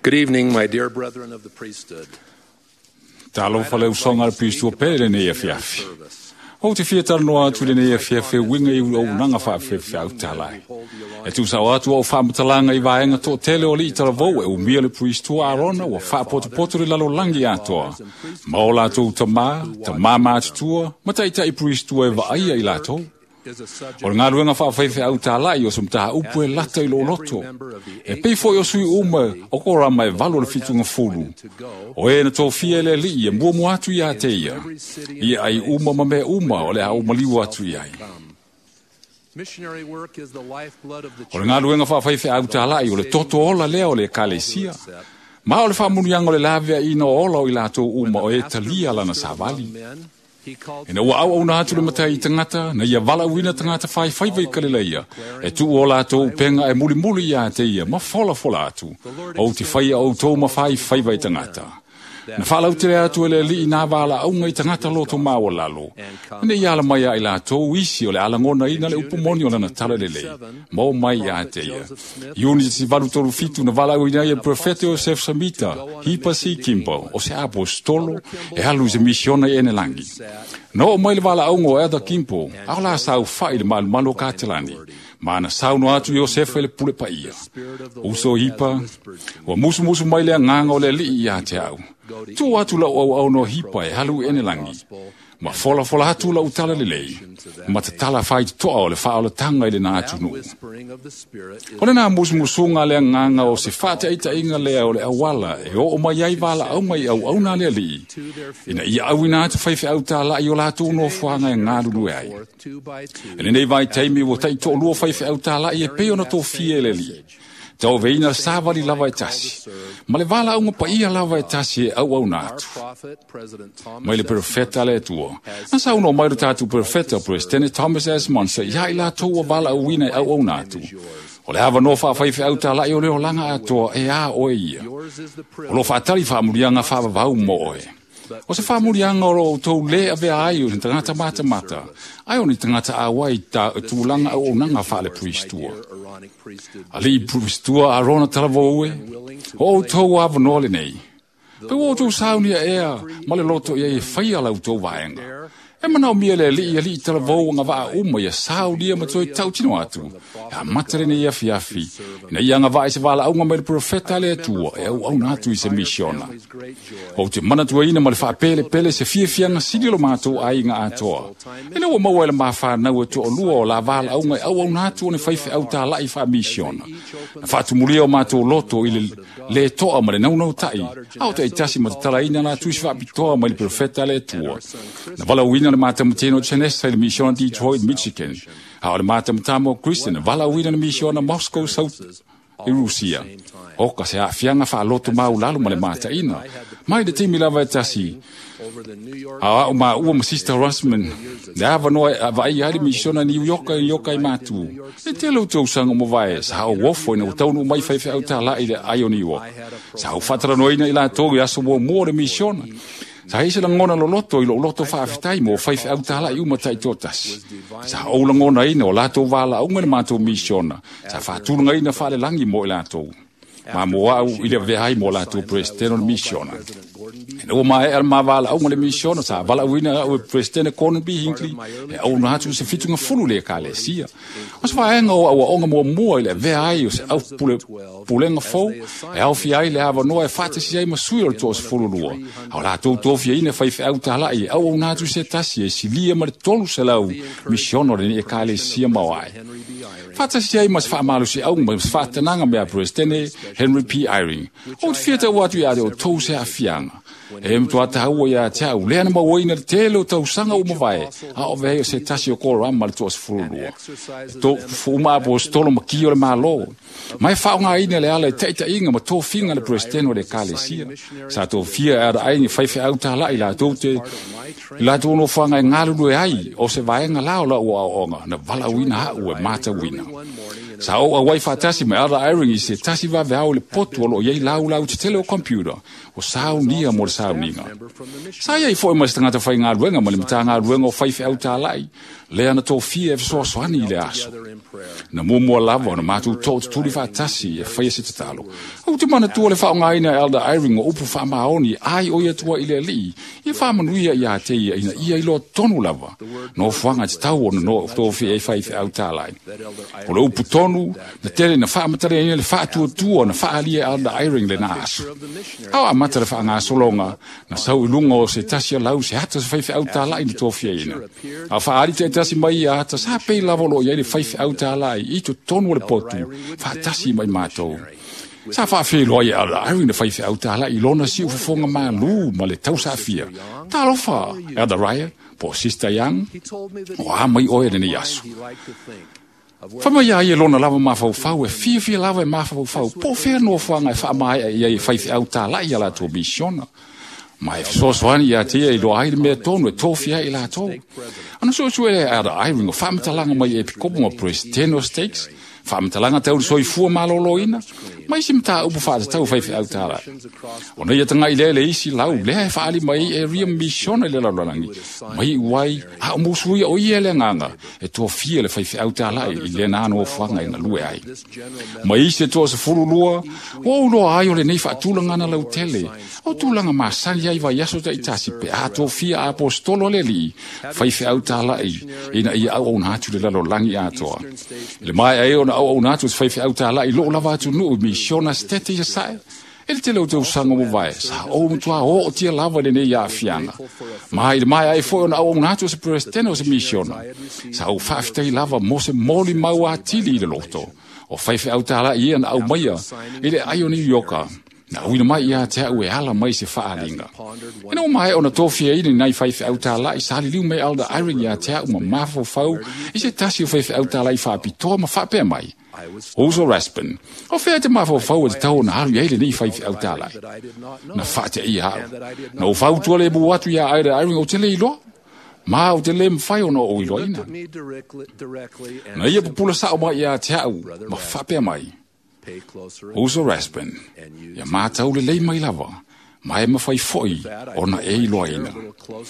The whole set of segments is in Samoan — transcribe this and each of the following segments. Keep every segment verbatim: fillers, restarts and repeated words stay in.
Good evening, my dear brethren of the priesthood. Talofa le usoga le priestua pele lenei afiafi. Ou te fia talanoa atu lenei afiafi e uiga i auaunaga faafefeau talai. E tuusao atu au faamatalaga i vaega toatele o alii talavou e umia le priestua Arona ua faapotopoto le lalolagi atoa. Ma o latou tamā, tamā matutua, ma taitai priestua e vaaia i latou. O le galuega faafaifeau talai o se mataupu e lata i lou loto. E pei foi o sui uma o korama e valu o le fitugafulu. O e na tofia e le alii e muamua atu ia te ia. Ia ai uma ma mea uma o le a ou maliu atu i ai. Missionary work is the lifeblood of the O le galuega faafaifeau talai o le toto ola lea o le ekalesia. Ma o le faamuniaga o le laveaiina o ola o i latou uma o e talia lana savali. Ina ua auauna atu le matai i tagata, na ia valaauina tagata faifaiva i Kalileia, e tuu o latou upega e mulimuli ia te ia ma folafola atu, ou te faia outou ma faifaiva i tagata. Na faalautele atu e le Alii nā valaauga i tagata loto maualalo, ina ia ala mai ia i latou isi o le a lagonaina le upu moni o lana talalelei, ma omai ia te ia. Iuni te valu tolu fitu na valaauina ai e le Perofeta Iosefe Samita, Hipa C. Kimball, o se aposetolo, e alu i se misiona i Enelagi. Na oo mai le valaauga o Elder Kimball, a o la saofai i le malumalu o Katelani, ma na saunoa atu Iosefe i le pule paia. Uso Hipa, ua musumusu mai le agaga o le Alii ia te au. Tuu atu lau auauna o Hipa e alu i Enelagi, ma folafola atu lau talalelei, ma tatala faitotoa o le faaolataga i lena atunuu. O lena musumusuga a le agaga o se faataitaiga lea o le auala e oo mai ai valaauga i auauna a le Alii, ina ia auina atu faifeau talai o latou nofoaga e galulue ai. I lenei vaitaimi ua taitoalua faifeau talai e pei ona tofia e le Alii. Tauaveina savali lava e tasi, ma le valaauga paia lava e tasi e auauna atu. Mai le perofeta a le Atua. Na saunoa mai lo tatou perofeta, Peresetene Thomas S. Monson, ia i latou ua valaauina e auauna atu. O le avanoa faafaifeau talai o le olaga atoa e a oe ia. O lo faatali faamuliaga faavavau mo oe. O se faamuliaga o lo outou lē avea ai o ni tagata matamata, ae o ni tagata auai ta tulaga auaunaga faale-priestua. Alii priestua Arona talavou e, o outou avanoa lenei. Pe ua outou saunia ea ma le loto i ai e faia la outou vaega. E manaomia le Alii alii talavou agavaa uma ia saunia ma toe tautino atu. E amata lenei afiafi, ina ia agavaa i se valaauga mai le perofeta a le Atua e auauna atu i se misiona. Ou te manatuaina ma le faapelepele se fiafiaga sili o lo matou aiga atoa. Ina ua maua e le ma fanau e toalua o la valaauga e auauna atu o ni faifeau talai faamisiona. Na faatumulia o matou loto i le le toa ma le naunautai, a o taitasi ma tatalaina la tusi faapitoa mai le perofeta a le Atua. Na valaauina le matamatino o Janessa i le misiona Detroit, Michigan. A o le matamatama o Kristen, na valaauina le misiona Moscow, South i Rusia. Oka se aafiaga faaloto maulalo ma le mataina. Mai le taimi lava e tasi, a au maua ma Sister Russman, le avanoa e vaaia ai le misiona New York i Yoka i matu. E tele o tausaga o mavae, sa ou ofo ina ua taunuu mai faifeau talai i le ai o New York. Sa ou faatalanoaina i latou i aso muamua o le misiona. Sa i se lagona loloto i lou loto faafetai mo faifeau talai uma taitoatasi. Sa ou lagonaina o latou valaauga i le matou misiona, sa faatulagaina faalelagi mo i latou. Ma mo au i le avea ai mo latou peresetene o le misiona. Ina ua maea le ma valaauga i le misiona, sa valaauina au e Peresetene Gordon B. Hinckley e auauna atu i se fitugafulu i le ekalesia. O se vaega o auaoga muamua i le avea ai o se au pule, pulega fou e aofia ai le avanoa e faatasi ai ma sui o le toasefulu lua, a o latou tofiaina faifeau talai e auauna atu i se tasi e silia ma le tolu selau misiona o lenei ekalesia maoae. Faatasi ai ma se faamalosiauga ma se faatanaga mea Peresetene Henry P. Eyring. Ou te fia tau atu ia te outou se aafiaga. E matua taua ia te au, lea na mauaina le tele o tausaga ua mavae, a o avea ai o se tasi o korama le toasefulu lua. E tofu uma aposetolo ma ki o le Malo. Ma e faaaogaina le ala i taitaiga ma tofiga a le Peresetene o le Ekalesia. Sa tofia e ara ai ni faifeau talai latou te i latou nofoaga e galulue ai o se vaega la o lau aoaoga na valaauina au e matauina. Sa ou auai faatasi ma Elder Eyring i se tasi vaveao i le potu o loo iai laulau tetele o computer o saunia mo le sauniga. Sa iai foʻi ma se tagata faigaluega ma le Matagaluega o Faifeau Talai, lea na tofia e fesoasoani i le aso. Na muamua lava ona matou tootutuli faatasi e faia se tatalo. Ou te manatua le faaaogaina e Elder Eyring o upu faamaoni ai o ia tua i le alii, ia faamanuia ia te ia ina ia iloa tonu lava nofoaga tatau ona no tofia ai faifeau talai. O le upu tonu na tele na faamatalaina le faatuatua na faaalia e Elder Eyring lena aso. Ao amata le faagasologa na sau i luga o se tasi alau se ata se faifeau talai na tofiaina. A faaali taitasi mai ia ata sa pei lava o loo iai le faifeau talai i totonu o le potu faatasi mai matou. Sa faafeiloai e Elder Eyring le faifeau talai i lona siufofoga malū ma le tausaafia. Talofa, Elder Ryan, po Sister Young, o a mai oe lenei aso. Fai mai ia lona lava mafaufau e fiafia lava e mafaufau po o fea nofoaga e faamaea i ai e faifeau talai ia latou misiona. Ma e fesoasoani ia te ia iloa ai le mea tonu e tofia ai i latou. Ona suesue lea e Elder Eyring o faamatalaga mai e epikopo ma Peresetene o Stakes, faamatalaga tau le soifua malōlōina, ma isi mataupu faatatau faifeau talai. Ona ia taga'i lea le isi lau lea e faaali mai e ria misiona i le lalolagi, mai uai a o musuia o ia le agaga e tofia le faifeau talai i lena nofoaga e galue ai. Ma isi e toasefulu lua, ua ou iloa ai o lenei faatulagana lautele, o tulaga masani ai vaiaso taitasi pe a tofia aposetolo a le alii faifeau talai ina ia auauna atu i le lalolagi atoa. I le maea ai ona auauna atu o se faifeau talai i loo lava atunuu i misiona setete i sasae, e le tele o tausaga ua vae, sa ou matuā ootia lava i lenei aafiaga. Ma i le maea ai foʻi ona auauna atu o se peresetene o se misiona, sa ou faafetai lava mo se molimau atili i le loto o faifeau talai ia na aumaia i le aai o Niu Ioka, na auina mai ia te au e ala mai se faaliga. Ina ua maea ona tofiaina i nai faifeau talai, sa liliu mai Elder Eyring ia te au ma mafaufau i se tasi o faifeau talai faapitoa ma faapea mai, Uso Raspin, o fea e te mafaufau e tatau ona alu i ai lenei faifeau talai? Na faateia au. Na ou fautua lemu atu iā Elder Eyring ou te le iloa, ma ou te le mafai ona ou iloaina. Na ia pupula sao mai ia te au ma faapea mai, Uso Raspin, ia matau lelei mai lava, ma e mafai foʻi ona e iloaina.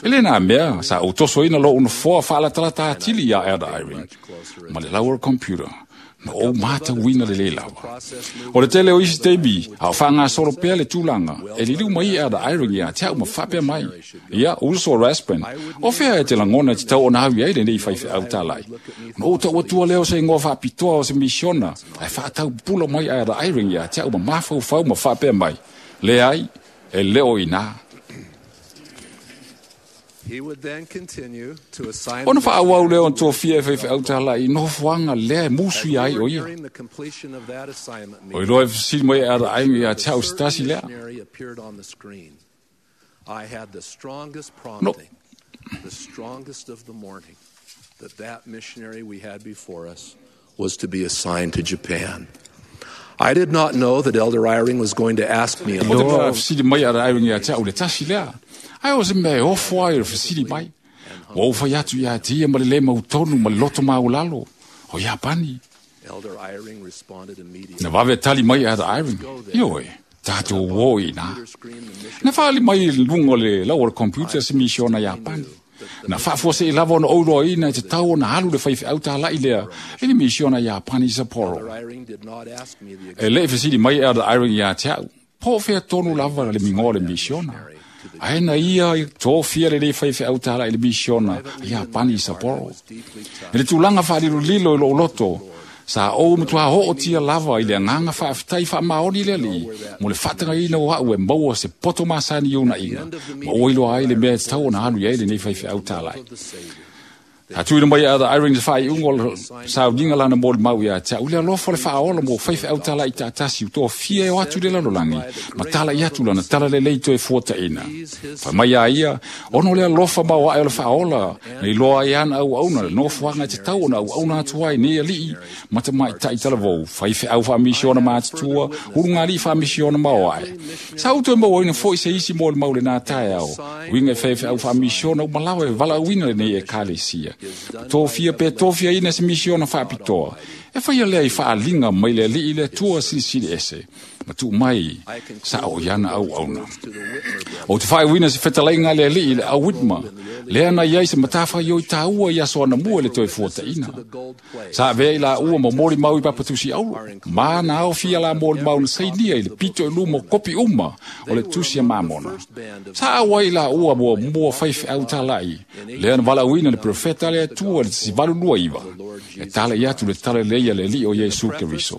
E lē na mea sa ou tosoina lou nofoa faalatalata atili iā Elder Eyring ma le lau o le computer, na ou matauina lelei lava. O le tele o isi taimi, a o faagasolo pea le tulaga, e liliu mai Elder Eyring ia te au ma faapea mai, Ia, Uso Raspin, o fea e te lagona e tatau ona au i ai lenei faifeau talai? Ona ou tau atua lea o se igoa faapitoa o se misiona, ae faataupula mai Elder Eyring ia te au ma mafaufau ma faapea mai, Leai, e le o inā. He would then continue to assign Ona faaauau lea ona tofia e faifeau talai i nofoaga lea e musuia ai o ia. Nearing the completion of that assignment O iloa e fesili mai e Elder Eyring ia te au se tasi lea. missionary appeared on the screen. I had the strongest No. prompting, the strongest of the morning, that that missionary we had before us was to be assigned to Japan. I did not know that Elder Eyring was going to ask me O te pea fesili mai Elder Eyring ia te au le tasi lea. Ae o se mea e ofo ai o le fesili mai. Ua ou fai atu ia te ia ma le lē mautonu ma le loto maualalo o Iapani. Elder Eyring responded immediately. Na vave tali mai Elder Eyring, Ioe, tatou o i inā. Na faaali mai i luga o le lau o le computer se misiona Iapani. Na faafuasei lava ona ou iloaina e tatau ona alu le faifeau talai lea i le misiona Iapani i Sapporo. Elder Eyring did not ask me the E leʻi fesili mai Elder Eyring ia te au, po o fea tonu lava le migoa o le misiona. Ae na ia tofia lenei faifeau talai i le misiona Iapani i Sapporo. I le tulaga faalilolilo i lou loto, sa ou matuā ootia lava i le agaga faafetai faamaoni i le alii mo le faatagaina o au e maua se poto masani i unaiga, ma ua iloa ai le mea e tatau ona alu i ai lenei faifeau talai. Sa tuuina mai e Elder Eyring se faaiuga o le sauniga lana molimau ia te au i le alofa o le faaola mo faifeau talai taatasi ua tofia e o atu i le lalolagi ma talai atu lana talalelei toe fuataʻina. Fai mai a ia, ona o le alofa maoaʻe o le faaola na iloa ai ana auauna le nofoaga e tatau ona auauna atu ai nei alii ma tamaitai talavou, faifeau faamisiona matutua, ulugalii faamisiona maoaʻe. Sa ou toe mauaina foʻi se isi molimau lenā taeao, uiga e faifeau faamisiona uma lava e valaauina lenei ekalesia. Tofia pe tofiaina se misiona faapitoa, E whaia lea i whaaliga mai le alii le Atua silisili ese, ma tuu mai sa o iana au auna. O te whaewina se whetalaiga le alii le au Whitmer, lea na iai se matafa ioi tāua i aso ana mua le toe fuataina. Sa vea i la ua mo mori mau i papatusi aulo, ma na au fia la mori mau na sainia i le pito i lumo kopi uma o le tusi a mamona. Sa au ai la ua mua mua whaiwhe au talai, lea na wala uina le profeta le Atua le tisi valu lua iva, e tala i atu le tala leia le alii o Iesu Keriso.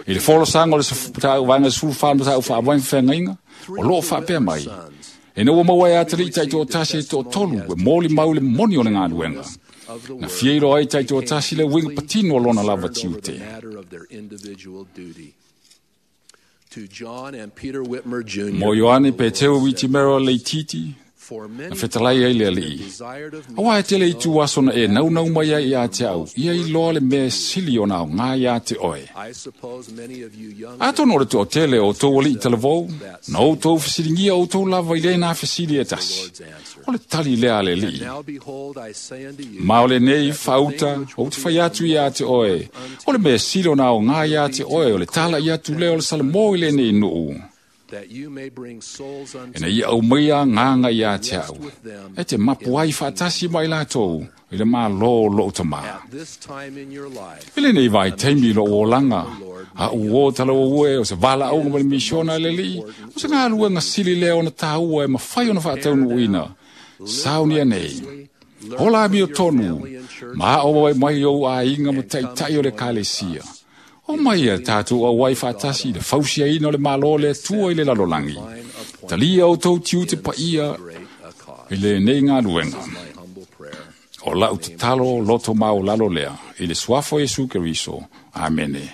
I le folasaga o le vaega sefulufa ma tau faavae ma feagaiga, o loo faapea mai. Ina ua maua e atalii taitoatasi e toatolu e moli mau le moni o le galuega. Na fia iloa ai taitoatasi le uiga patino o lona lava tiute. Mo Ioane Peteu Witimero Leititi, na fetalai ai le alii. Aua e tele i tu aso na e naunau mai ai ia te au, ia i loa le mea sili o na o ngā ia te oe. Atonu o le toatele o tou alii talavou, na o tou fesilingia o tou lava i le nā fesili e tasi. O le tali lea a le alii. Ma o le nei whauta, o te whai atu ia te oe, o le mea sili o na o ngā ia te oe, o le tala i atu lea o le salamo i le nei nuu. Ina ia au maia ngānga ia te au, e te mapu ai whaatasi mai lātou i le mā lō lō tamā. I le nei vai teimi lo o langa, a uo tala ue o se wala aunga ma le misiona le lii, o se ngā luenga sili leo na tāua e mawhai ona whaataunu uina, saunia nei. Hola mi o tonu, ma o wai mai o a inga mo taitai o le kalesia. O mai a tātou au wai whaatasi le fausia ina o le malo le tua i le lalolangi. Talia o tau tiu te paia i le nei ngā luenga. O lau te talo loto mau lalo lea, i le suafo Iesu Keriso. Amene.